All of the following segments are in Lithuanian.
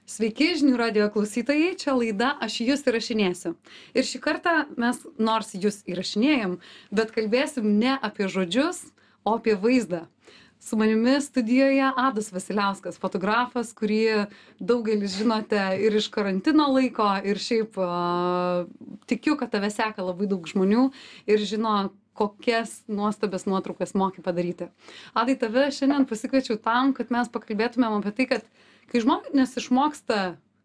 Sveiki, žinių radio klausytojai, čia laida Aš jūs įrašinėsiu. Ir šį kartą mes nors jūs įrašinėjom, bet kalbėsim ne apie žodžius, o apie vaizdą. Su manimi studijoje Adas Vasiliauskas, fotografas, kurį daugelis žinote ir iš karantino laiko, ir šiaip tikiu, kad tave seka labai daug žmonių ir žino, kokias nuostabias nuotraukas moki padaryti. Adai, tave šiandien pasikviečiau tam, kad mes pakalbėtumėm apie tai, kad kai žmonės išmoksta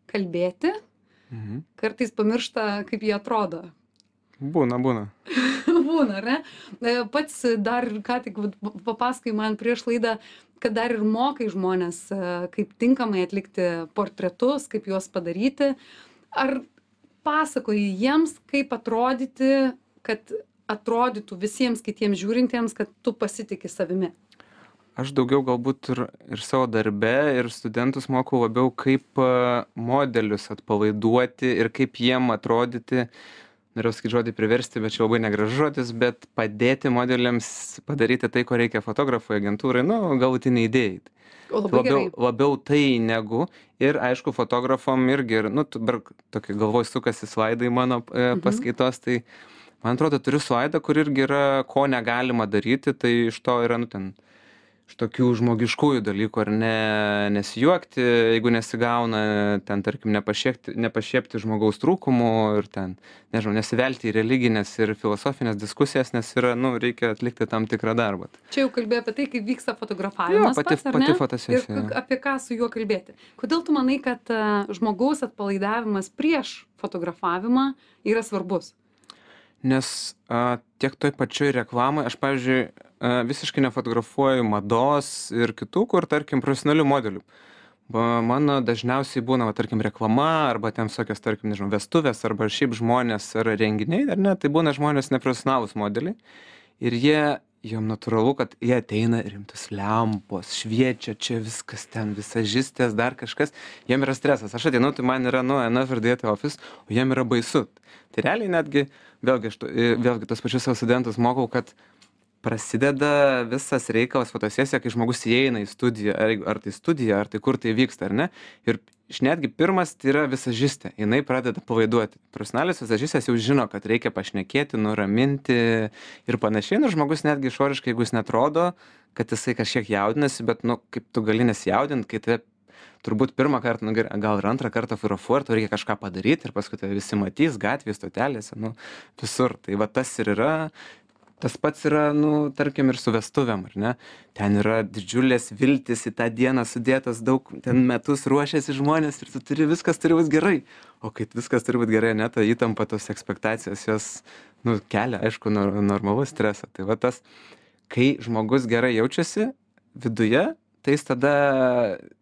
kalbėti, kartais pamiršta, kaip jie atrodo. Būna. Būna, ar ne? Pats dar ką tik papasakai man prieš laidą, kad dar ir mokai žmonės, kaip tinkamai atlikti portretus, kaip juos padaryti. Ar pasakoji jiems, kaip atrodyti, kad atrodytų visiems kitiems žiūrintiems, kad tu pasitiki savimi? Aš daugiau galbūt ir savo darbe, ir studentus mokau labiau, kaip modelius atpalaiduoti ir kaip jiem atrodyti. Norėjau sakyti žodį priversti, bet čia labai negražus žodis, bet padėti modeliams padaryti tai, ko reikia fotografui, agentūrai, galutiniai idėjai. Labiau tai negu, ir aišku, fotografom irgi, tokį galvoj sukasi slaidai mano paskaitos, tai man atrodo, turiu slaidą, kur irgi yra, ko negalima daryti, tai iš to yra, iš tokių žmogiškųjų dalykų, ar ne, nesijuokti, jeigu nesigauna, ten, tarkim, nepašiepti žmogaus trūkumų ir ten, nežinau, nesivelti į religinės ir filosofinės diskusijas, nes yra, reikia atlikti tam tikrą darbą. Čia jau kalbėjo apie tai, kaip vyksta fotografavimas, pati fotosesija. Ir apie ką su juo kalbėti. Kodėl tu manai, kad žmogaus atpalaidavimas prieš fotografavimą yra svarbus? Nes tiek toj pačioj reklamai, aš, pavyzdžiui, visiškai nefotografuoju mados ir kitų, kur, tarkim, profesionalių modelių. Mano dažniausiai būna, tarkim, reklama, arba ten visokios, tarkim, nežinau, vestuvės, arba šiaip žmonės ar renginiai, ar ne, tai būna žmonės neprofesionalūs modeliai. Ir jom natūralu, kad jie ateina rimtus lempos, šviečia, čia viskas ten, visažistės, dar kažkas, jiem yra stresas. Aš ateinu, tai man yra, enough ir dėti office, o jiem yra baisu. Tai realiai netgi, vėlgi tos pačius savo studentus mokau, kad prasideda visas reikalas fotosesija, kai žmogus įeina į studiją, ar tai studija, ar tai kur tai vyksta, ar ne. Ir netgi pirmas tai yra visažistė, jinai pradeda pavaiduoti. Profesionalios visažistės jau žino, kad reikia pašnekėti, nuraminti ir panašiai. Ir žmogus netgi išoriškai, jeigu jis netrodo, kad jisai kažkiek jaudinasi, bet, kaip tu gali nesijaudinti, kai tave turbūt pirmą kartą, gal ir antrą kartą fotografuoji, tu reikia kažką padaryti ir paskui tave visi matys gatvėje, stotelėse, visur. Tai va tas ir yra. Tas pats yra, tarkim, ir su vestuvėm, ar ne? Ten yra didžiulės viltis į tą dieną sudėtas, daug ten metus ruošiasi žmonės ir viskas turi būti gerai. O kai viskas turi būti gerai, ne, ta įtampa, tos ekspektacijos, jos, kelia, aišku, normalus stresą. Tai va tas, kai žmogus gerai jaučiasi viduje, tai jis tada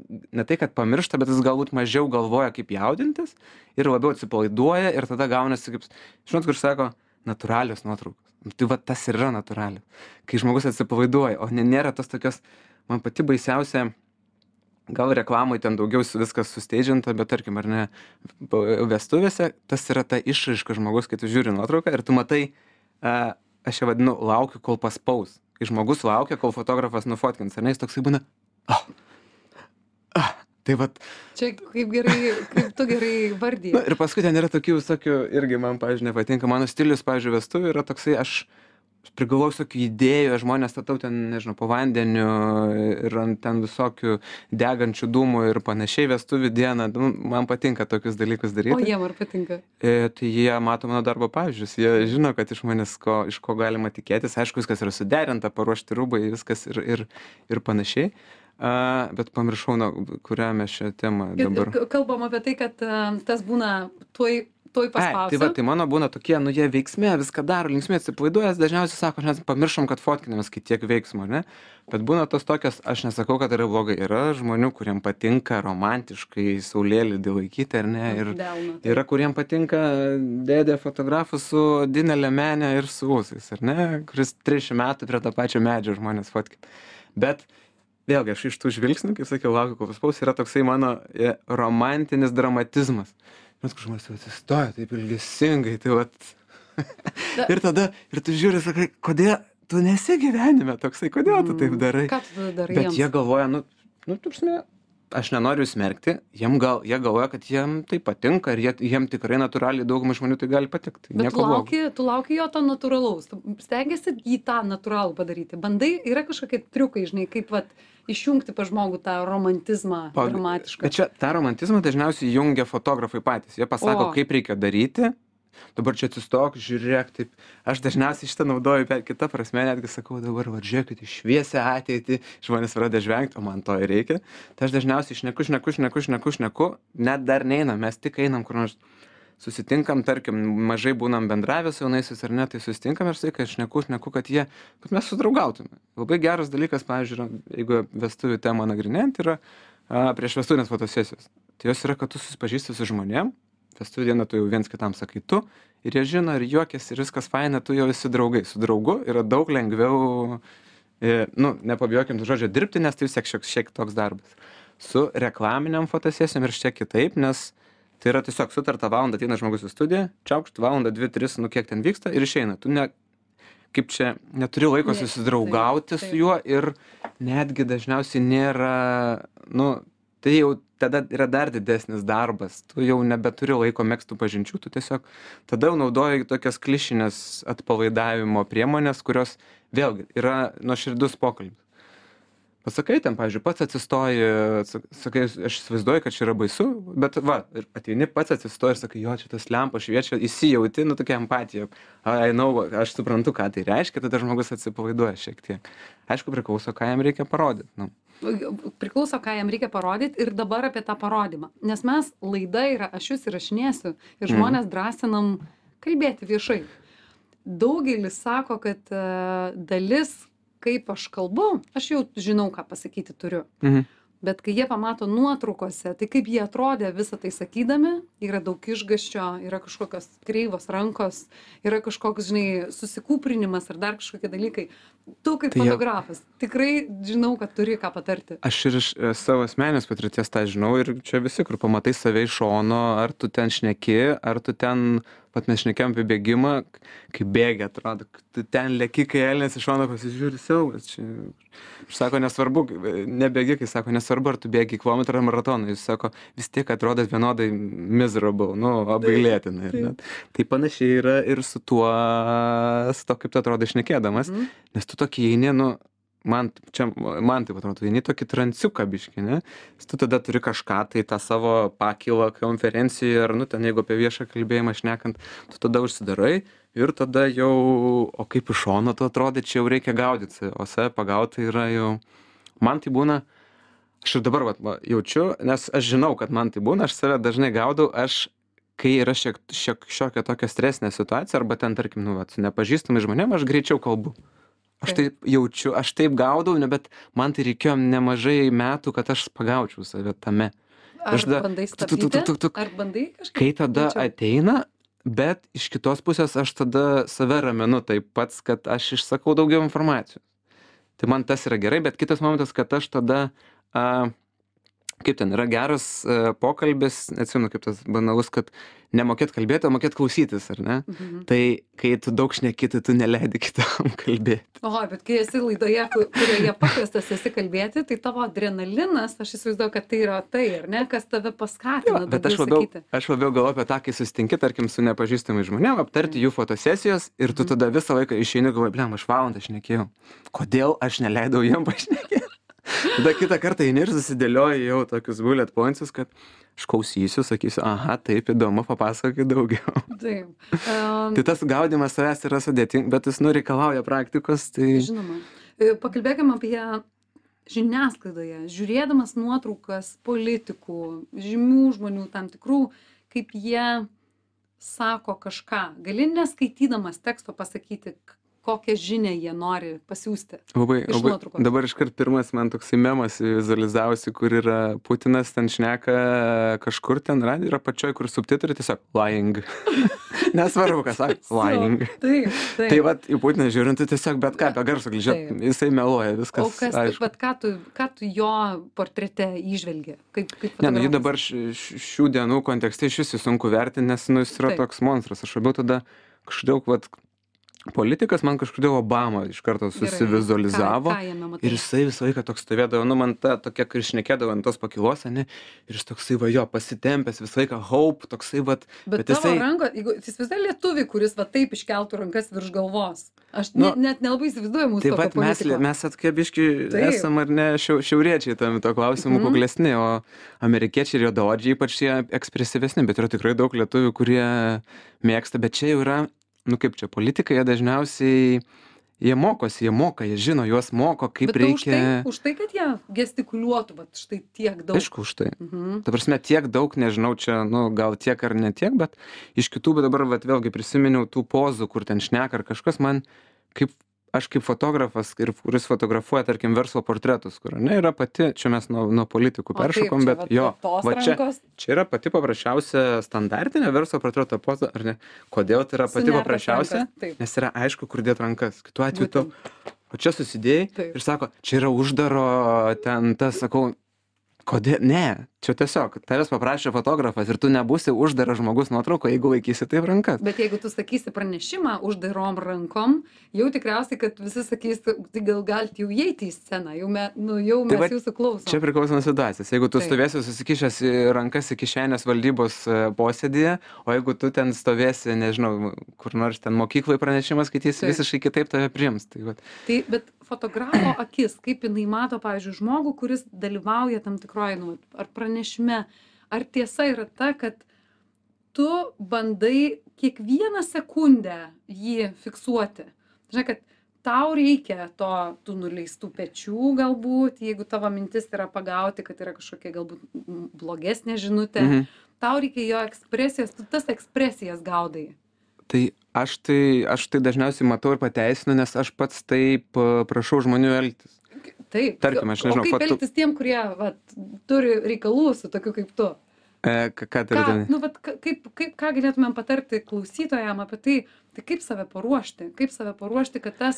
ne tai, kad pamiršta, bet jis galbūt mažiau galvoja, kaip jaudintis ir labiau atsipalaiduoja ir tada gaunasi, kaip, žinot, kur sako, natūralios nuotraukos. Tai va tas ir yra natūraliai. Kai žmogus atsipalaiduoja, o nėra tos tokios, man pati baisiausia, gal reklamai ten daugiau viskas susteidžinta, bet tarkim, ar ne, vestuvėse, tas yra ta išraiška žmogus, kai tu žiūri nuotrauką ir tu matai, aš ją vadinu, laukiu, kol paspaus. Kai žmogus laukia, kol fotografas nufotkins, ar ne, jis toksai būna, tai vat. Čia kaip tu gerai vardiji. Ir paskui ten yra tokių visokių, irgi man, pavyzdžiui, nepatinka. Mano stilius, pavyzdžiui, vestuvių yra toksai, aš prigalvoju visokių idėjų, žmonės statau ten, nežinau, po vandeniu ir ant ten visokių degančių dūmų ir panašiai vestuvių dieną. Man patinka tokius dalykus daryti. O jiem ar patinka? Tai jie mato mano darbo pavyzdžius, jie žino, kad iš manęs iš ko galima tikėtis. Aišku, viskas yra suderinta, paruošti rūbai, viskas ir panašiai. Bet pamiršau, kurią mes šią temą dabar. Kalbam apie tai, kad tas būna tuoj paspausiu. Tai mano būna tokie, jie veiksme, viską daro, linksmė atsipalaiduojas, dažniausiai sako, mes pamiršom, kad fotkinamės, kai tiek veiksmo, ne? Bet būna tos tokios, aš nesakau, kad yra blogai, yra žmonių, kuriem patinka romantiškai saulėlydį laikyti, ar ne? Ir yra, kuriem patinka dėdė fotografų su odine liemenė ir su ūsais, ar ne? Kuris 30 metų prie to pačio medžio žmonės fotkina. Bet vėlgi, aš iš tų žvilgsnių, kaip sakiau, laukiu, kol paspaus, yra toksai mano romantinis dramatizmas. Žinot, kur žmonės atsistoja taip ilgesingai, tai vat. Ir tu žiūri, sakai, kodėl tu nesi gyvenime toksai, kodėl tu taip darai? Ką tu darai Bet jiems? jie galvoja, tu prasme, aš nenoriu smerkti, jie galvoja, kad jiem tai patinka ir jiem tikrai natūraliai daugumai žmonių tai gali patikti. Tai Bet nieko blogo. tu lauki jo to natūralaus, tu stengiasi jį tą natūralų padaryti. Bandai, yra kažkokie triukai, žinai, kaip vat išjungti pa žmogų tą romantizmą dramatišką. Bet čia tą romantizmą dažniausiai jungia fotografai patys. Jie pasako, kaip reikia daryti. Dabar čia atsistok, žiūrėk, taip. Aš dažniausiai šitą naudoju per kitą prasme, netgi sakau, dabar va, žiūrėkit, šviesią ateitį, žmonės pradeda žvengti, o man to ir reikia. Tai aš dažniausiai šneku, net dar neinam, mes tik einam, kur nors susitinkam, tarkim, mažai būnam bendravę su jaunaisiais ar ne, tai susitinkam ir sakai, šneku, kad mes sudraugautume. Labai geras dalykas, pavyzdžiui, jeigu vestuvių temą nagrinėjant, yra prieš vestuvinės fotosesijos. Tai jos yra, kad tu susipažįsti su žmonėm. Vestuvių dieną tu jau viens kitam sakai tu ir jie žino ir juokiasi ir viskas faina, tu jau esi draugai. Su draugu yra daug lengviau, nepabijokim to žodžio dirbti, nes tai vis tiek šiek toks darbas. Su reklaminiam fotosesijom ir šiek kitaip, nes tai yra tiesiog sutarta valandą ateina žmogus į studiją, čiaukšt valandą, 2-3, kiek ten vyksta ir išeina. Tu neturi laiko susidraugauti su juo ir netgi dažniausiai nėra, tai jau tada yra dar didesnis darbas, tu jau nebeturi laiko megztų pažinčių, tu tiesiog tada jau naudoji tokias klišinės atpalaidavimo priemonės, kurios vėlgi yra nuoširdus pokalbis. Pasakai ten, pavyzdžiui, pats atsistoji, sakai, aš įsivaizduoju, kad čia yra baisu, bet ir ateini pats atsistoji ir sakai, jo, čia tas lempa šviečia, įsijauti, tokia empatija. Aš suprantu, ką tai reiškia, tada žmogus atsipalaiduoja šiek tiek. Aišku, priklauso, ką jam reikia parodyti. Priklauso, ką jam reikia parodyti ir dabar apie tą parodymą. Nes mes laida yra, aš jūs įrašinėsiu ir žmonės drąsinam kalbėti viešai. Daugelis sako, kad dalis, kaip aš kalbu, aš jau žinau, ką pasakyti turiu. Bet kai jie pamato nuotraukose, tai kaip jie atrodė visą tai sakydami, yra daug išgąsčio, yra kažkokios kreivos rankos, yra kažkoks, žinai, susikūprinimas ar dar kažkokie dalykai. Tu kaip fotografas tikrai žinau, kad turi ką patarti. Aš ir iš savo asmenės patirties tą žinau ir čia visi, kur pamatai save iš šono, ar tu ten šneki, ar tu ten, pat mes šnekėjom apie bėgimą, kai bėgi atrodo, tu ten leki, kai elnės iš šono pasižiūri siaubas. Aš sako, nesvarbu, nebėgi, kai sako, nesvarbu, ar tu bėgi kilometrą ar maratoną, jis sako, vis tiek atrodo vienodai miserable, apgailėtinai. Tai panašiai yra ir su tuo, kaip tu atrodo šnekėdamas, nes tu tokį eini, man taip atrodo, eini tokį transiuką biškį, ne? Tu tada turi kažką, tai tą savo pakilą konferencijoje, ar ten jeigu apie viešą kalbėjimą šnekant, tu tada užsidarai ir tada jau, o kaip iš šono tu atrodai, čia jau reikia gaudyti, o save pagauti yra jau, man tai būna, aš ir dabar jaučiu, nes aš žinau, kad man tai būna, aš save dažnai gaudau, kai yra šiokia tokia stresinė situacija, arba ten, tarkim, su nepažįstamai žmonėm, aš greičiau kalbu. Aš taip jaučiu, aš taip gaudau, bet man tai reikėjo nemažai metų, kad aš pagaučiau save tame. Ar bandai stabdyti? Ar bandai kažkaip? Kai tada ateina, bet iš kitos pusės aš tada save raminu taip pats, kad aš išsakau daugiau informacijos. Tai man tas yra gerai, bet kitas momentas, kad aš tada, kaip ten yra geras pokalbis, neatsimenu kaip tas banalus, kad nemokėt kalbėti, o mokėt klausytis, ar ne? Tai kai tu daug šneki, tai tu neleidi kitam kalbėti. Oho, bet kai esi laidoje, kurioje pakviestas esi kalbėti, tai tavo adrenalinas, aš įsivaizduoju, kad tai yra tai, ar ne, kas tave paskatina daugiau sakyti. Aš labiau galvoju apie tą, kai susitinki, tarkim, su nepažįstamai žmonėm, aptarti jų fotosesijos ir tu tada visą laiką išeini, galvoji, blem, aš valandą šnekėjau. Kodėl aš neleidau jiem pašnekėti? Tada kitą kartą eini ir susidėlioji jau tokius bullet pointsus, kad aš klausysiu, sakysiu, aha, taip įdomu, papasakokit daugiau. Taip. Tai tas gaudimas savęs yra sudėtingas, bet jis reikalauja praktikos. Tai... Žinoma. Pakalbėkime apie žiniasklaidoje, žiūrėdamas nuotraukas politikų, žymių žmonių tam tikrų, kaip jie sako kažką. Gali neskaitydamas teksto pasakyti, kokią žinią jie nori pasiųsti. Labai, dabar iškart pirmas man toksai memas vizualizavosi, kur yra Putinas ten šneka kažkur ten yra pačioj, kur subtitrai tiesiog lying. Nesvarbu, kas sako, lying. Taip. Tai vat, į Putiną žiūrint, tai tiesiog bet ką apie garsą kližiot, jisai meluoja, viskas. O ką tu jo portrete įžvelgi? Ne, jį dabar šių dienų kontekste iš vis sunku vertinti, nes jis yra toks monstras. Aš labiau tada kažkaip, politikas man kažkodėl Obama iš karto susivizualizavo. Ką jame matai? Ir jisai visą laiką toks stovėdavo, nu man ta tokia, kai šnekėdavo ant tos pakilos, ne, ir jis toksai va jo, pasitempęs visą laiką, hope, toksai va. Bet tavo ranko, jeigu jis visai lietuvį, kuris va taip iškeltų rankas virš galvos. Aš net nelabai įsivaizduoju mūsų tokio politiko. Tai mes atkebiški esam ar ne šiauriečiai tam to klausimu kuklesni, o amerikiečiai ir juodaodžiai ypač jie ekspresyvesni, bet yra tikrai daug lietuvių, kurie mėgsta, bet čia jau yra, nu kaip čia, politikai jie dažniausiai, jie mokosi, jie žino, juos moko, kaip reikia. Bet už tai, kad jie gestikuliuotų, bet štai tiek daug. Aišku, už tai. Ta prasme, tiek daug, nežinau, čia, nu, gal tiek ar ne tiek, bet iš kitų, bet dabar vat, vėlgi prisiminiau tų pozų, kur ten šneka ar kažkas man, aš kaip fotografas, kuris fotografuoja, tarkim, verslo portretus, kur, ne, yra pati, čia mes nuo politikų peršokom, bet jo, va čia yra pati paprasčiausia standartinė verslo portreto poza, ar ne? Kodėl tai yra pati paprasčiausia? Nes yra aišku, kur dėt rankas. Kitu atveju tu, o čia susidėjai ir sako, čia yra uždaro, ten tas, sakau, kodėl? Ne, čia tiesiog, tavęs paprašė fotografas ir tu nebūsi uždaras žmogus nuotrauko, jeigu laikysi taip rankas. Bet jeigu tu sakysi pranešimą uždarom rankom, jau tikriausiai, kad visi sakys, tai gal galite jau įeiti į sceną, jau mes jūsų klausom. Čia priklauso nuo situacijos. Jeigu tu stovėsi susikišęs rankas į kišenės valdybos posėdėje, o jeigu tu ten stovėsi, nežinau, kur nors ten mokyklai pranešimas skaitysi, visiškai kitaip tave priims. Bet fotografo akis, kaip jinai mato, pavyzdžiui, žmogų, kuris dalyvauja tam tikroje, ar pranešime, ar tiesa yra ta, kad tu bandai kiekvieną sekundę jį fiksuoti. Žinai, kad tau reikia tų nuleistų pečių galbūt, jeigu tavo mintis yra pagauti, kad yra kažkokia galbūt blogesnė žinutė, tau reikia jo ekspresijos, tu tas ekspresijas gaudai. Tai aš tai dažniausiai matau ir pateisinu, nes aš pats taip prašau žmonių elgtis. Taip. Tarkim, aš nežinau. O kaip elgtis tiem, kurie turi reikalų su tokiu kaip tu? Ką turite? Ką galėtumėm patarti klausytojam apie tai kaip save paruošti? Kaip save paruošti, kad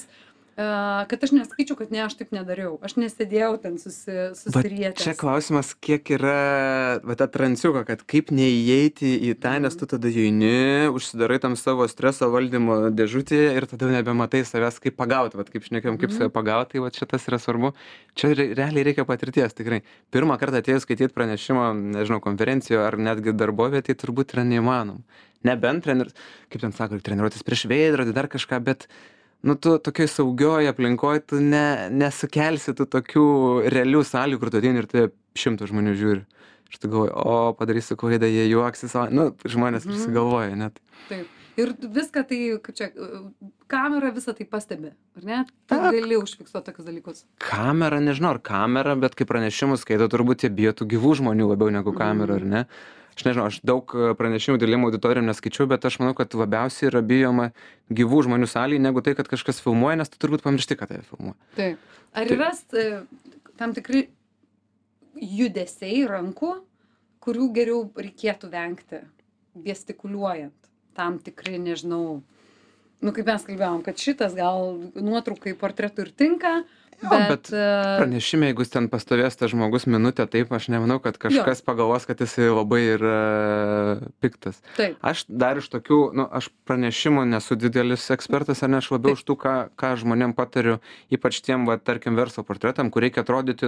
aš nesakyčiau, kad ne, aš taip nedariau. Aš nesėdėjau ten susirietęs. Čia klausimas, kiek yra ta transiuka, kad kaip neįeiti į tą, nes tu tada įeini, užsidarai tam savo streso valdymo dėžutėje ir tada nebematai savęs, kaip pagauti, kaip šnekėjom, kaip save pagauti, tai šitas yra svarbu. Čia realiai reikia patirties, tikrai. Pirmą kartą atėjus skaityti pranešimą, nežinau, konferencijoje ar netgi darbovietėje, tai turbūt yra neįmanom. Nebent kaip ten sako, treniruotis prieš veidrodį, dar kažką, bet tu tokioj saugioj aplinkoj, tu nesukelsi tų tokių realių sąlygų, kur tu ateini ir tai 100 žmonių žiūri. Ir tu galvoji, padarysiu klaidą, jie juoksis, žmonės prisigalvoja net. Taip. Ir viską tai, kaip čia, kamera visą tai pastebi, ar ne? Tu gali užfiksuoti tokius dalykus. Kamera, nežinau, ar kamera, bet kai pranešimus skaito, turbūt jie bijo tų gyvų žmonių labiau negu kamera, ar ne? Aš nežinau, aš daug pranešimų dalymo auditorijom neskaičiau, bet aš manau, kad labiausiai yra bijoma gyvų žmonių salėje, negu tai, kad kažkas filmuoja, nes tu turbūt pamiršti, kad tai filmuoja. Taip. Ar yra tam tikri judesiai rankų, kurių geriau reikėtų vengti, gestikuliuojant? Tam tikri, nežinau, kaip mes kalbėjom, kad šitas gal nuotraukai portretų ir tinka, bet pranešime, jeigu ten pastovės tas žmogus minutę, taip, aš nemanau, kad kažkas pagalvos, kad jisai labai yra piktas. Taip. Aš dar iš tokių, aš pranešimų nesu didelis ekspertas, ar ne, aš labiau iš tų, ką žmonėm patariu, ypač tiem, tarkim, verslo portretam, kur reikia atrodyti,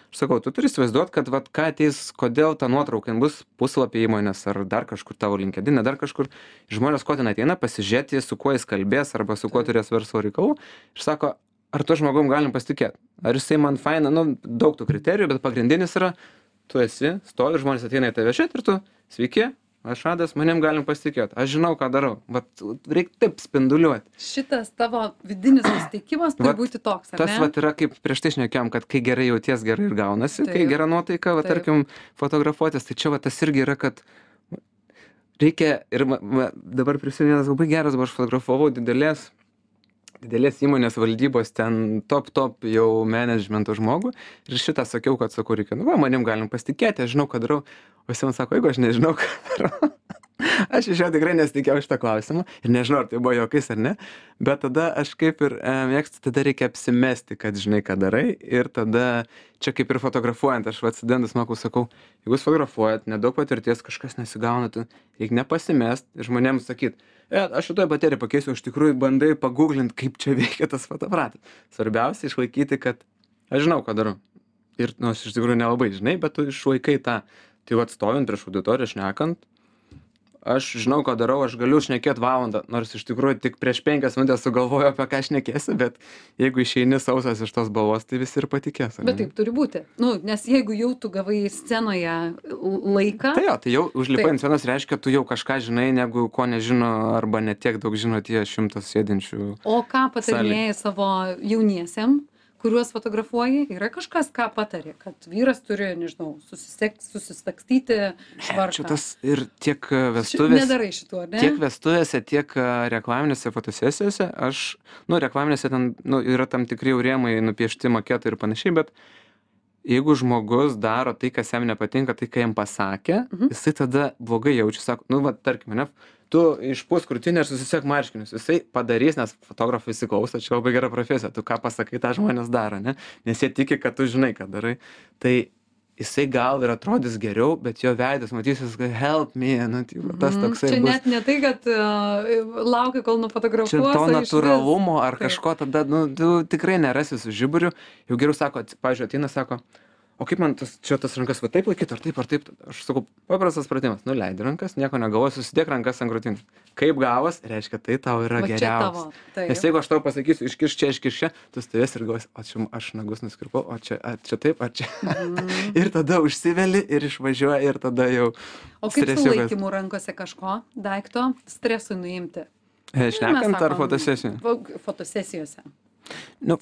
aš sakau, tu turi įsivaizduoti, kad ką ateis, kodėl ta nuotrauka bus puslapį įmonės, ar dar kažkur tavo LinkedIn, dar kažkur, žmonės ko ten ateina, pasižiūrėti, su kuo jis kalbės, arba su kuo turės verslo reikalų, ir sako, ar tuo žmogum galim pasitikėti? Ar jisai man faina, daug tų kriterijų, bet pagrindinis yra, tu esi, stovi, žmonės ateina į tave žiūrėti ir tu, sveiki, aš Adas, manim galim pasitikėti, aš žinau, ką darau, reikia taip spinduliuoti. Šitas tavo vidinis nusiteikimas turi būti toks, ar ne? Tas yra kaip prieš tai šnekėjom, kad kai gerai jauties, gerai ir gaunasi, kai gera nuotaika, tarkim, fotografuotis, tai čia tas irgi yra, kad reikia, ir dabar prisimenu, labai geras, aš fotografavau didelės įmonės valdybos ten top jau managemento žmogų ir šitą sakiau, kad sakau, reikia, manim galim pasitikėti, aš žinau, ką darau, o jis man sako, jeigu aš nežinau, ką darau, Aš iš jo tikrai nesitikėjau šito klausimo ir nežinau, ar tai buvo juokais ar ne, bet tada aš kaip ir mėgstu, tada reikia apsimesti, kad žinai, ką darai ir tada čia kaip ir fotografuojant, aš studentus mokau, sakau, jeigu jūs fotografuojat, nedaug patirties, kažkas nesigauna, tai reikia nepasimest ir žmonėms sakyt, aš šitoj bateriją pakeisiu, iš tikrųjų bandai pagooglint, kaip čia veikia tas fotoaparatas. Svarbiausia išlaikyti, kad aš žinau, ką darau. Ir nors iš tikrųjų nelabai žinai, bet tu išlaikai tą. Tai vat stovint prieš auditoriją, šnekant, aš žinau, ką darau, aš galiu šnekėt valandą, nors iš tikrųjų tik prieš 5 minutės sugalvoju, apie ką šnekėsiu, bet jeigu išeini sausas iš tos balvos, tai visi ir patikės. Bet taip turi būti. Nu, nes jeigu jau tu gavai scenoje laiką. Tai jau užlipai ant scenos reiškia, tu jau kažką žinai, negu ko nežino arba netiek daug žino tie 100 sėdinčių. O ką patarinėjai savo jauniesiem, kuriuos fotografuoji, yra kažkas, ką patarė, kad vyras turi, nežinau, susistakstyti švarką. Čia tas ir tiek vestuvės. Nedarai šitų, ar ne? Tiek vestuvėse, tiek reklaminėse fotosesijose. Reklaminėse ten yra tam tikri jau rėmai, nupiešti maketai ir panašiai, bet jeigu žmogus daro tai, kas jam nepatinka, tai, ką jam pasakė, jisai tada blogai jaučia, sako, tarkim, ne, tu išpūsk krūtinę ir susisiek marškinius. Jisai padarys, nes fotografai įsiklauso, čia labai gera profesija, tu ką pasakai, tą žmonės daro, ne? Nes jie tiki, kad tu žinai, ką darai. Tai jisai gal ir atrodys geriau, bet jo veidas matysis, kad help me, tas toksai čia bus. Net ne tai, kad laukia, kol nufotografuos. Čia to natūralumo ar kažko tada, tu tikrai nerasi su žiburiu. Jau geriau sako, pavyzdžiui, ateina, sako, o kaip man tas rankas va taip laikyti, ar taip, aš sakau, paprastas pratimas, nuleidi rankas, nieko negalvoji, susidėk rankas ant krūtinės. Kaip gavos, reiškia, tai tau yra geriausia. Nes jeigu aš tau pasakysiu, iškiš čia, tu stovės ir galvosi, o čia aš nagus nuskirpau, o čia taip, ar čia. Ir tada užsiveli ir išvažiuoja ir tada jau. O kaip su laikymu rankose kažko, daikto, stresui nuimti? Šnekant ar fotosesijose? Fotosesijose.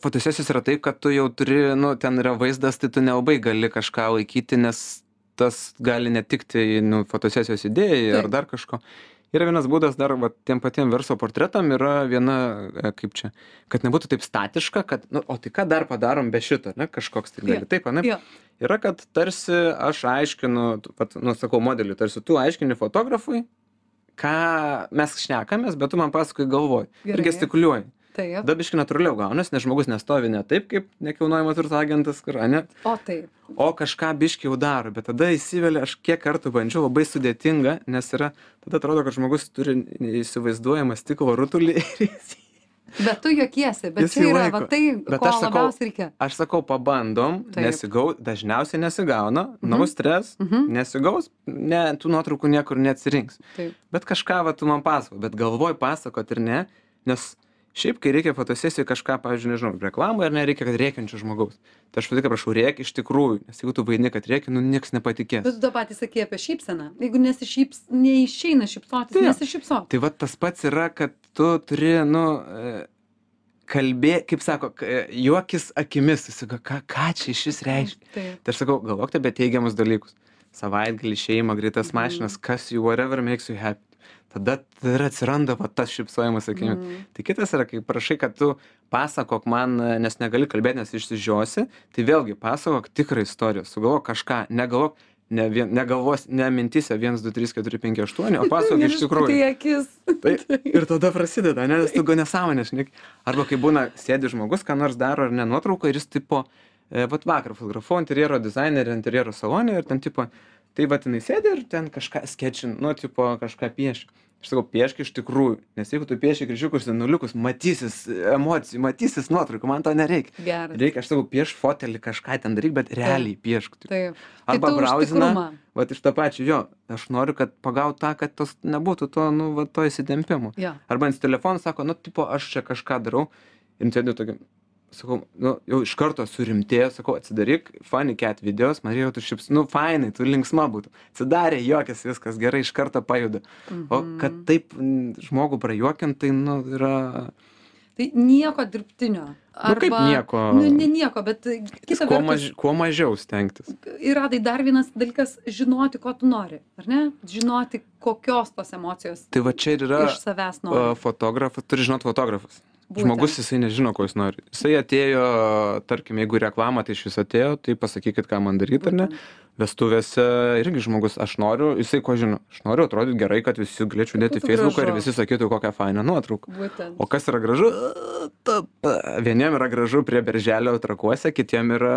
Fotosesijos yra taip, kad tu jau turi, ten yra vaizdas, tai tu nelabai gali kažką laikyti, nes tas gali netikti fotosesijos idėjai ar dar kažko. Yra vienas būdas dar, tiem patiem verslo portretam yra viena, kaip čia, kad nebūtų taip statiška, kad, o tai ką dar padarom be šito, ne, kažkoks tai gali. Taip, ne? Yra, kad tarsi aš aiškinu, sakau modeliui, tarsi tu aiškini fotografui, ką mes šnekamės, bet tu man pasakoji galvoj ir gestikuliuoji. Tada biškai natūraliau gaunas, nes žmogus nestovi ne taip, kaip nekilnojamo turto agentas, ne? O kažką biškai jau daro, bet tada įsivelia, aš kiek kartų bandžiau, labai sudėtinga, nes yra, tada atrodo, kad žmogus turi įsivaizduojamą stiklo rutulį ir jis... Bet tu juokiesi, bet čia yra, tai, ko labiausiai reikia. Aš sakau, pabandom, dažniausiai nesigauna, no stress, nesigaus, tų nuotraukų niekur neatsirinks. Bet kažką tu man pasako, bet galvoj pasakot ir ne, nes šiaip, kai reikia fotosesijai kažką, pavyzdžiui, nežinau, reklamą ar nereikia, kad rėkiančių žmogaus. Tai aš tik prašau, rėk iš tikrųjų, nes jeigu tu vaidini, kad rėki, nieks nepatikės. Bet tu tą patį sakei apie šypseną. Jeigu neišeina šypsotis, nesišypsok. Tai tas pats yra, kad tu turi, kaip sako, juokis akimis, ką čia iš vis reiškia. Tai aš sakau, galvokite apie teigiamus dalykus. Savaitgalį, šeimą, greitas mašinas, kas you, whatever makes you happy. Tada ir atsiranda tas šypsojimas akimis. Tai kitas yra, kai prašai, kad tu pasakok man, nes negali kalbėti, nes išsižiosi, tai vėlgi pasakok tikrą istoriją, sugalvok kažką, negalvos, ne mintise 1, 2, 3, 4, 5, 8, o pasakok iš tikrųjų. Ir tada prasideda, nes tu nesąmonė šneki. Arba kai būna sėdi žmogus, ką nors daro ar ne nuotrauką ir jis tipo, vakar fotografuoju interjero dizainerį, interjero salonį ir ten tipo, tai jinai sėdi ir ten kažką skečin, kažką piešia. Aš sakau, piešk iš tikrųjų, nes jeigu tu pieši kryžiukus ir nuliukus, matysis emocijų, matysis nuotraukų, man to nereikia. Reikia, aš sakau, pieš fotelį, kažką ten daryk, bet realiai piešk. Arba brauziną, iš tą pačią, aš noriu, kad pagaut tą, kad tos nebūtų to įsidempimo. Arba ant telefono sako, aš čia kažką darau ir sėdžiu tokia. Sakau, jau iš karto surimtėjo, sakau, atsidaryk funny cat videos, man reikia, tu šips, fainai, tu linksma būtų. Atsidarė, juokės, viskas gerai, iš karto pajuda. O kad taip žmogų prajuokint, tai, yra... Tai nieko dirbtinio. Kaip nieko? Ne nieko, bet kita vertus... Kuo mažiau stengtis. Yra tai dar vienas dalykas, žinoti, ko tu nori, ar ne? Žinoti, kokios tos emocijos tai va čia ir yra iš savęs nori. Fotografas, turi žinoti fotografas. Žmogus jisai nežino, ko jis nori. Jisai atėjo, tarkim, jeigu reklamą, tai iš vis atėjo, tai pasakykit, ką man daryti, ar ne. vestuvėse irgi žmogus, aš noriu, jisai ko žino, aš noriu atrodyti gerai, kad visi galėčiau dėti į būtų Facebooką ir gražu. visi sakytų, kokią fainą nuotrauką. Būtent. O kas yra gražu? Vieniem yra gražu prie Berželio Trakuose, kitiem yra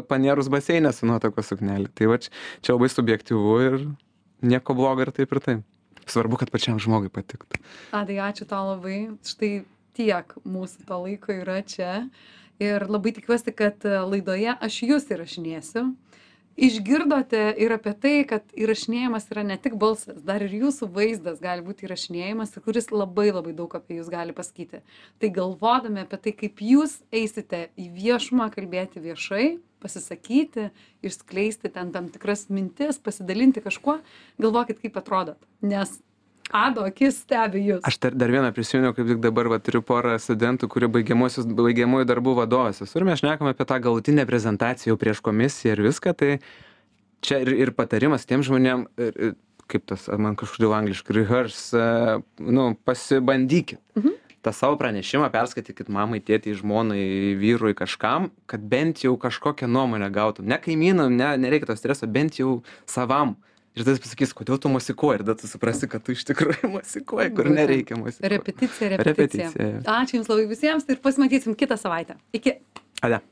panėrus baseinė su nuotakos suknelė. Tai va čia labai subjektyvu ir nieko blogo ir taip ir taip. Svarbu, kad pačiam žmogui patiktų. Adai, ačiū tau labai. Štai tiek mūsų to laiko yra čia. Ir labai tikiuosi, kad laidoje aš jūs įrašinėsiu. Išgirdote ir apie tai, kad įrašinėjimas yra ne tik balsas, dar ir jūsų vaizdas gali būti įrašinėjimas, kuris labai labai daug apie jūs gali pasakyti. Tai galvodami apie tai, kaip jūs eisite į viešumą, kalbėti viešai, pasisakyti, išskleisti ten tam tikras mintis, pasidalinti kažkuo, galvokit, kaip atrodot. Nes Ado akis stebi jūs. Aš dar vieną prisiminiau, kaip tik dabar turiu porą studentų, kurie baigiamųjų darbų vadovas. Ir mes šnekame apie tą galutinę prezentaciją jau prieš komisiją ir viską. Tai čia ir patarimas tiem žmonėm, kaip tas, man kažkodėl angliškai, rehearse, pasibandykit. tą savo pranešimą perskaitykit mamai, tėtei, žmonai, vyrui, kažkam, kad bent jau kažkokią nuomonę gautum. Ne kaimynam, nereikia to streso, bent jau savam. Ir tada pasakys, kodėl tu mosikuoji, ir tada tu suprasi, kad tu iš tikrųjų mosikuoji, kur nereikia mosikuoti. Repeticija. Ačiū Jums labai visiems ir pasimatysim kitą savaitę. Iki. Ade.